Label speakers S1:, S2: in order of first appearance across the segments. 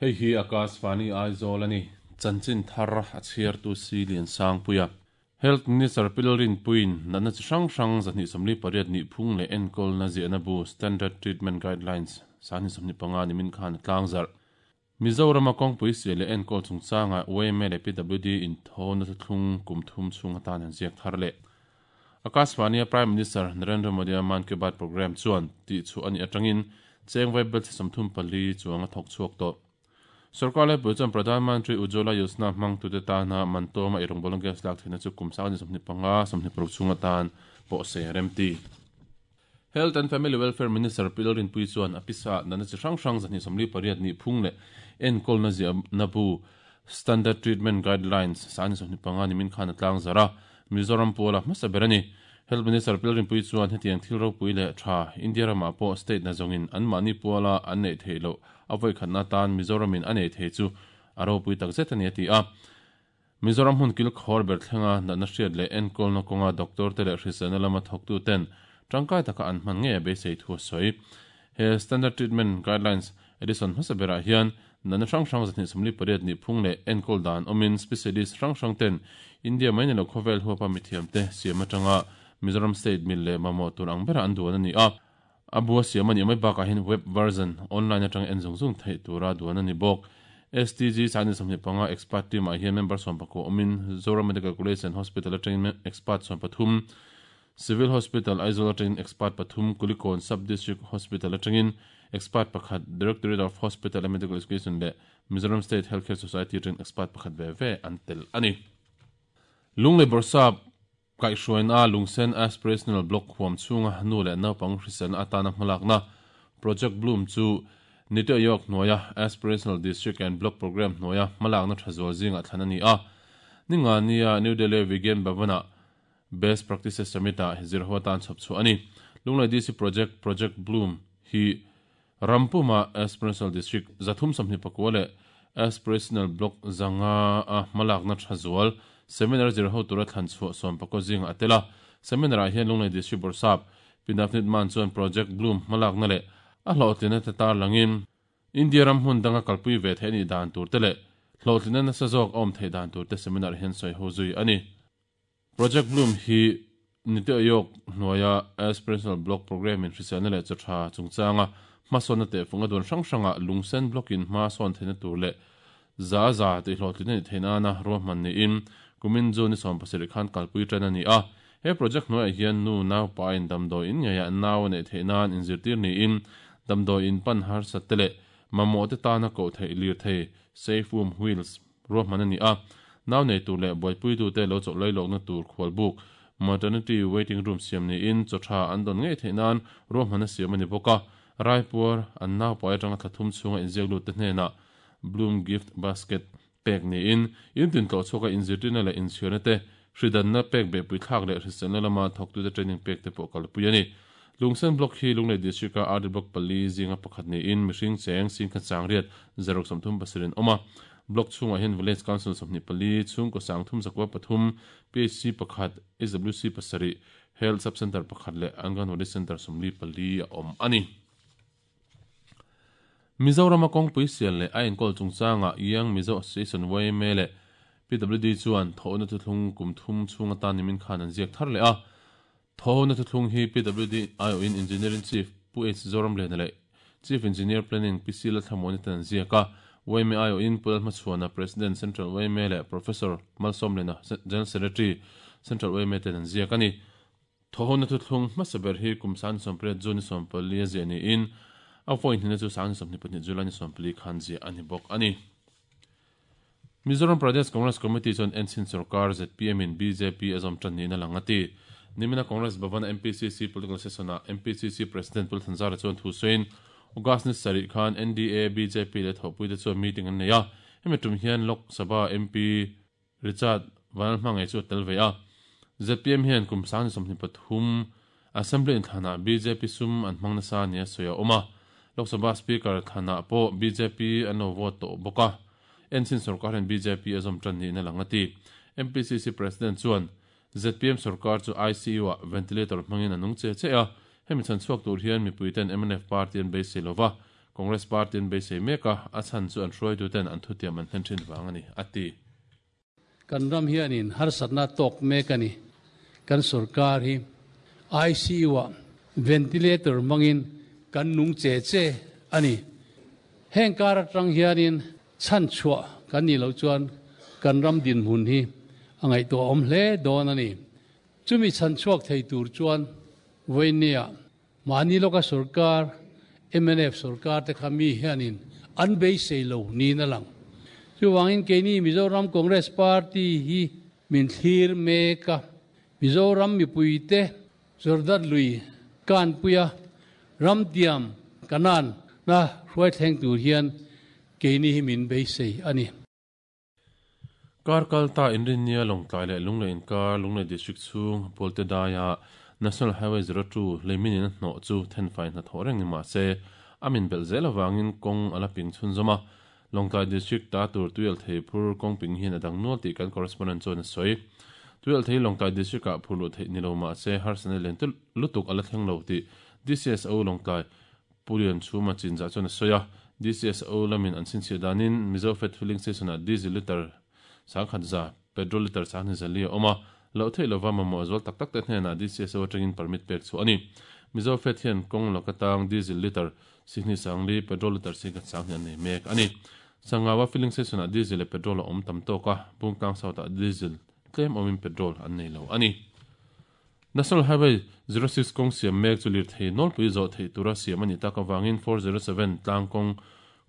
S1: Hei hi Akashvani Aizawl a ni. Chanchin thar a chhiartu si Liansangpuia. Health Minister Pi Lalrinpuiin natna chi hrang hrang 248 nihphung leh enkawlna ziahna bu Standard Treatment Guidelines 2025 nimin khan a tlangzarh. Mizorama kawngpui sial leh enkawl chungchangah yma leh PWD inthawna thuthlung kum thum chhung atan an ziak thar leh. Akashvani-a Prime Minister Narendra Modi-a Mann Ki Baat programme chuan tihchhuah a nih atangin cheng vaibelchhe 34 chuang a thawk chhuak tawh. Sorkar laipui chuan Pradhan Mantri Ujjwala Yojana hmangtute tana mantawma eirawngbawl gas lak theihna chu kum 2025, 26 chhung atan pawh sei a remti. Health and Family Welfare Minister Pi Lalrinpuii chuan a pisa natna chi hrang hrang 248 nihphung leh enkawlna ziahna bu Standard Treatment Guidelines 2025 nimin khan a tlangzarh a, Mizoram puala hmasa ber a ni. Health Minister Pi Lalrinpuii chuan hetiang thil ropui leh tha India ramah pawh state na zawngin anmahni puala an neih theih loh a vawikhatna atan Mizoramin a nei thei chu a ropui takzet a ni a ti a. Mizoram hmun kil khawr ber thlenga natna hriat leh enkawlna kawnga doctor te leh hriselna lama thawktu ten tangkai taka an hman ngei a beisei thu a sawi. He Standard Treatment Guidelines edition hmasa berah hian natna hrang hrang 248 nihphung leh enkawl dan awmin specialist hrang hrang ten India mai ni lo khawvel huapa mithiamte siam atanga Mizoram state mil leh mamawh tur ang bera an duan a ni a. A bua siam a nih mai bakah hian web version online atanga en zung zung theih tura duan a ni bawk. STG 2025 expert team ah hian member 11 awmin Zoram Medical College and Hospital atangin expert 13, Civil Hospital Aizawl atangin expert pathum, Kulikawn Sub District Hospital atangin expert pakhat, Directorate of Hospital and Medical Education leh Mizoram State Healthcare Society atangin expert pakhat ve ve an tel a ni. Lunglei Bawrhsap Kaihhruaina Lungsen Aspirational Block huam chhunga nu leh naupang hriselna atana hmalakna Project Bloom chu Niti Aayog hnuaia Aspirational District and Block Programme hnuaia hmalakna tha zual zingah thlan a ni a. Ningania New Delhi Vigyan Bhavan-ah Best Practices Summit-ah zirho atan chhawp chhuah a ni. Lunglei DC Project, Project Bloom, hi Rampuma Aspirational District 324 leh Aspirational Block 500 a hmalakna tha zual Seminar zir ho tura thlan chhuah 11 zingah a tel a. Seminar-ah hian Lunglei District Bawrhsap Pi Navneet Mann chuan Project Bloom hmalakna leh a hlawhtlinna te tarlangin India ram hmun danga kalpui ve theih a nih dan tur te leh hlawhtlinna nasa zawk a awm theih dan tur te seminar hian sawi ho zui a ni. Project Bloom hi Niti Aayog hnuaia Aspirational Block Programme in hriselna leh chaw tha chungchanga hmasawnna tehfung a duan hrang hrangah lungsen block in hma sawn theihna tur leh za za tihhlawhtlinna nih theih nana ruahman niin kumin June ni 17 khan kalpui tan a ni a. He project hnuaiah hian nu naupa in damdawi in ngeiah nau a neih theih nan inzirtir niin damdawi in pan harsat te leh mamawh te tana koh theih lirthei Safe Womb Wheels Ruahman a ni a, nau nei tur leh buaipuitute lo chawlh lailawkna tur khualbuk, maternity waiting room, siam niin chaw tha an dawn ngei theih nan ruahman a siam a ni bawk a. Raipuar an naupai atanga thla thum chhunga inziak lutte hnenah Bloom Gift Basket pek niin in tin tlawh chhuaka inzirtirna leh inchhirna te, hridanna pek behpui thlak leh hriselna lama thawktute training pek te pawh kalpui a ni. Lungsen Block hi Lunglei District-a RD Block pali zinga pakhat niin mihring cheng singkhat sangriat zaruk 37 an awm a. Block chhungah hian Village Council 24, chhungkaw 313, PHC pakhat, HWC pasarih, Health Sub Centre pakhat leh Anganwadi Centre 44 a awm a ni. Mizorama kawngpui sial leh a enkawl chungchangah Young Mizo Association, yma, leh PWD chuan thawhna thuthlung kum thum chhung atan nimin khan an ziak thar leh a. Thawhna thuthlung hi PWD aiawhin Engineering Chief Pu H Zoramliana leh Chief Engineer Planning Pi C Lalthlamuani ten an ziak a. Yma aiawhin Pu Lalhmachhuana, President, Central yma leh Professor Malsawmliana, General Secretary, Central yma ten an ziak a ni. Thawhna thuthlung hmasa ber hi kum 2008 June ni 14 a ziah niin a vawi hnihna chu 2022 July ni 14 khan ziah a ni bawk a ni. Mizoram Pradesh Congress Committee chuan Enchhin Sorkar zpm in bjp a zawm tan niin a lang a ti. Nimina Congress Bhavan-a MPCC Political Session-ah MPCC President Pu Thanzara chuan thu sawiin August ni sarih khan NDA, bjp leh thawhpuite chuan meeting an nei a. Hemi tum hian Lok Sabha MP Richard Vanlalhmangaih chu a tel ve a. Zpm hian kum 2023 Assembly inthlanah bjp sum an hmang nasa nia sawi a awm a. Lok Sabha Speaker thlanah pawh bjp an lo vote tawh bawk a. Enchhin sorkar hian bjp a zawm tan niin a lang a ti. MPCC President chuan zpm sorkar chu ICU-ah ventilator hmangin a nung che che a. Hemi chhan chhuak tur hian mipuiten mnf party an beisei lo va. Congress party an beisei mek a, a chhan chu an hruaituten an thutiam an hlen thin vang a ni, a ti.
S2: Kan ram hianin harsatna tawk mek a ni. Kan sorkar hi ICU-ah ventilator hmangin kan nung che che a ni. Heng kar atang hianin chhanchhuah kan nih loh chuan kan ram dinhmun hi a ngaihtuahawm hle dawn a ni. Chumi chhanchhuak thei tur chuan vawinia mahni lawka sorkar, mnf sorkar te kha mi hianin an beisei lo niin a lang. Chuvangin keini Mizoram Congress Party hi min thlir mek a, Mizoram mipuite Jordan lui kanpuia ramtiam Kanaan na hruai thleng tur hian keini hi min beisei a ni.
S1: Kar kal ta Inrinnia Lawngtlai leh Lunglei inkar Lunglei District chhung Pualte daia National Highway 02 leimin in a hnawh chu thenfai hnathawh reng ni mah se a min belh zel avangin kawng a la ping chhunzawm a. Lawngtlai District ta tur tuialthei phur kawng ping hian a dang nual tih kan correspondent chuan a sawi. Tuialthei Lawngtlai District ah phur luh theih ni lo mah se harsatna lian lutuk a la thleng lo tih DCSO Lawngtlai Pu Lianchhuma chinzah chuan a sawi a, DCSO lamin an chhinchhiah danin Mizo Fat Filling Station-ah Diesel litre 10,000 za, Petrol litre 2,000 zali a awm a, loh theih lova mamawh zual tak tak te hnenah DCSO atangin permit pek chhuah a ni. Mizo Fat hian kawng laka tang Diesel litre sihnih sangli, Petrol litre singkhat sanghnih an nei mek a ni. Sangawa Filling Station-ah Diesel leh Petrol a awm tam tawk a, Bungtlang South-ah Diesel tlem awmin Petrol an nei lo a ni. National Highway 06 kawng siam mek chu lirthei nawlpui zawh theih tura siam a nih tak avangin 407 tlang kawng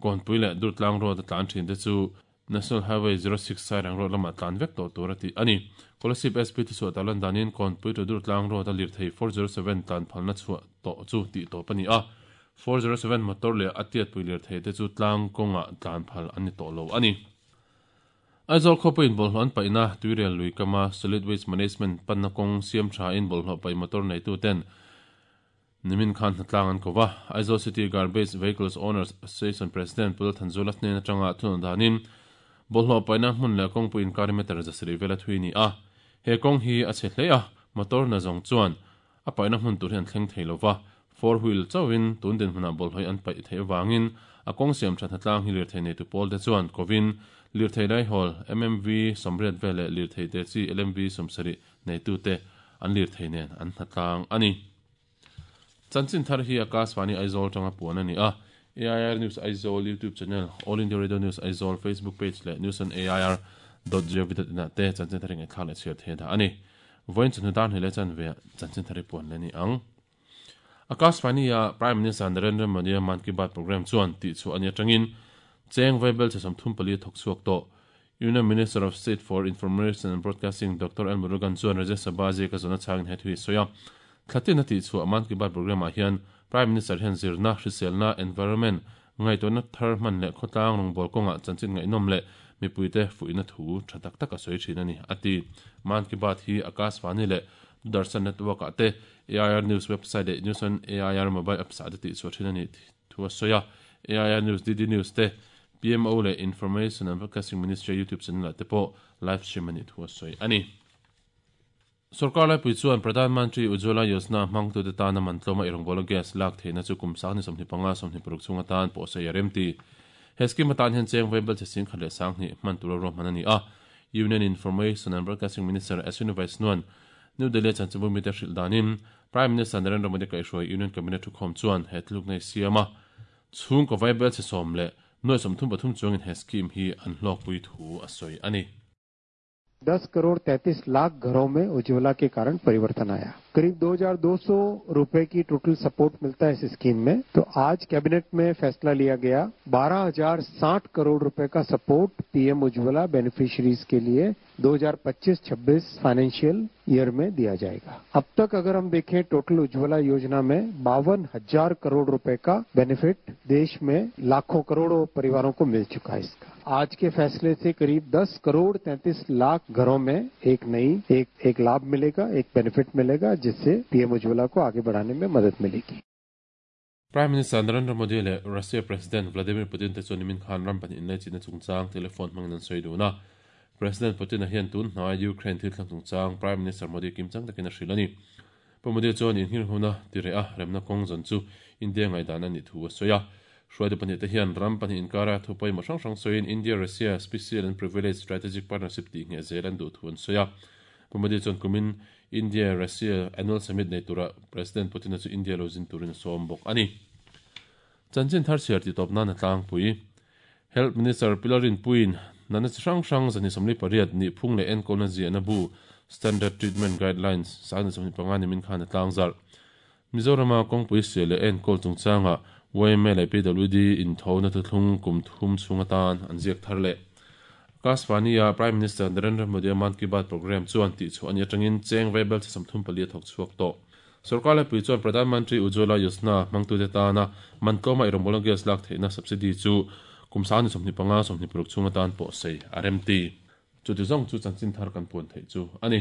S1: Kawnpui leh Durtlang Road a tlan thin te chu National Highway 06 Sairang Road lamah tlan vek tawh tur a tih a ni. Kolasib SP thuchhuah ta lan danin Kawnpui to Durtlang Road a lirthei 407 tlan phalna chhuah tawh chu tih tawp a ni a, 407 motor leh a tiatpui lirthei te chu tlang kawngah tlan phal an ni tawh lo a ni. Aizawl khawpuiin bawlhhlawh an paihna Tuirial lui kama Solid Waste Management panna kawng siam thain bawlhhlawh paih motor neituten nimin khan hnatlang an ko va. Aizawl City Garbage Vehicles Owners Association President Pu Lalthanzula hnen atanga thunawn danin bawlhhlawh paihna hmun leh kawngpui inkar meter 700 vela thui a ni a. He kawng hi a chhe hle a, motor na zawng chuan A paihna hmun tur hi an thleng thei lo va, four wheel chauhin tun dinhmunah bawlhhlawih an paih theih avangin a kawng siam that hnatlang hi lirthei neitu pawlte chuan kovin lirthei laihawl MMV 80 vel leh lirthei te chi LMV 70 neitute an lirthei nen an hnatlang a ni. Chanchin thar hi Akashvani Aizawl tanga puan a ni a, AIR News Aizawl YouTube channel, All India Radio News Aizawl Facebook page leh news on air dot gov dot in ah te chanchin thar hi ngaihthlak leh chhiar thei a dah a ni. Vawiin chawhnu dar hnih leh chanve ah chanchin thar hi puan leh a ni ang. Akashvani-a Prime Minister Narendra Modi-a Mann Ki Baat programme chuan tihchhuah a nih atangin cheng vaibel che 34 a thawk chhuak tawh. Union Minister of State for Information and Broadcasting Doctor L Murugan chuan Rajya Sabha ziaka zawhna chhangin he thu hi a sawi a. Thlatin a tihchhuah Mann Ki Baat programme ah hian Prime Minister hian zirna, hriselna, environment, Ngaihtuahna thar hman leh khawtlang rawngbâwl kawngah chanchin ngaihnawm leh mipuite fuihna thu tha tak tak a sawi thin a ni, a ti. Mann Ki Baat hi Akashvani leh Doordarshan Network-ah te, AIR News website leh News on AIR mobile apps-ah te tihchhuah thin a nih thu a sawi a. AIR News, DD News te, PMO leh Information and Broadcasting Ministry YouTube channel-ah te pawh live stream a nih thu a sawi a ni. Sorkar laipui chuan Pradhan Mantri Ujjwala Yojana hmangtute tana man tlawma irawngbawla gas lak theihna chu kum 25 26 chhung atan pawhsawi a rem ti. He scheme atan hian cheng vaibel che 10,000 leh 20 hman tura ruahman a ni a. Union Information and Broadcasting Minister Ashwini Vaishnaw-a'n New Delhi-a chanchinbu mite hrilh danin Prime Minister Narendra Modi kaihhruai Union Cabinet thukhawm chuan he thilukna hi siam a chhungkaw vaibel che sawm leh nuai 33 chuangin he scheme hi an hlawkpui thu a sawi a ni.
S3: 10 crore 33 lakh घरों में उज्ज्वला के कारण परिवर्तन आया। करीब 2200 रुपए की total support मिलता है इस स्कीम में। तो आज कैबिनेट में फैसला लिया गया 12060 करोड़ रुपए का support PM Ujjwala beneficiaries के लिए 2025-26 फाइनेंशियल ईयर में दिया जाएगा। अब तक अगर हम देखें टोटल उज्ज्वला योजना में 52,000 करोड़ रुपए का बेनिफिट देश में लाखों करोड़ों परिवारों को मिल चुका है इसका। आज के फैसले से करीब 10 करोड़ 33 लाख घरों में एक नई एक एक लाभ मिलेगा, एक बेनिफिट मिलेगा, जिससे पीएम उज्ज्वला को आगे बढ़ाने में मदद मिलेगी।
S1: Prime Minister Narendra Modi leh Russia President Vladimir Putin te chuan nimin khan ram pahnih inlaichinna chungchang telephone hmangin an sawi dun a. President Putin-a hian tun hnai Ukraine thil thleng chungchang Prime Minister Modi kimchang takin a hrilh a ni. Pu Modi chuan inhirhuna ti reh a remna kawng zawn chu India ngaihdan a nih thu a sawi a. Hruaitu pahnihte hian ram pahnih inkara thu pawimawh hrang hrang sawiin India-Russia Special and Privileged Strategic Partnership tih ngheh zel an duh thu an sawi a. Pu Modi chuan kumin India-Russia Annual Summit nei tura President Putin-a chu India lo zin turin a sawm bawk a ni. Chanchin thar chhiar tih tawp nan a tlangpui. Health Minister Pi Lalrinpuiin natna chi hrang hrang 128 nihphung leh enkawlna ziahna bu Standard Treatment Guidelines 2025 nimin khan a tlangzarh. Mizorama kawngpui sial leh enkawl chungchangah yma leh PWD inthona thuthlung kum thum chhung atan an ziak thar leh. Akashvani-a Prime Minister Narendra Modi-a Mann Ki Baat programme chuan tihchhuah a nih atangin cheng vaibel chi 34 a thawk chhuak tawh. Sorkar laipui chuan Pradhan Mantri Ujjwala Yojana hmangtute tana man tlawma eirawngbawl gas lak theihna subsidy chu kum 2025, 26 chhung atan pawh sei a remti. Chuti zawng chu chanchin thar kan puan theih chu a ni.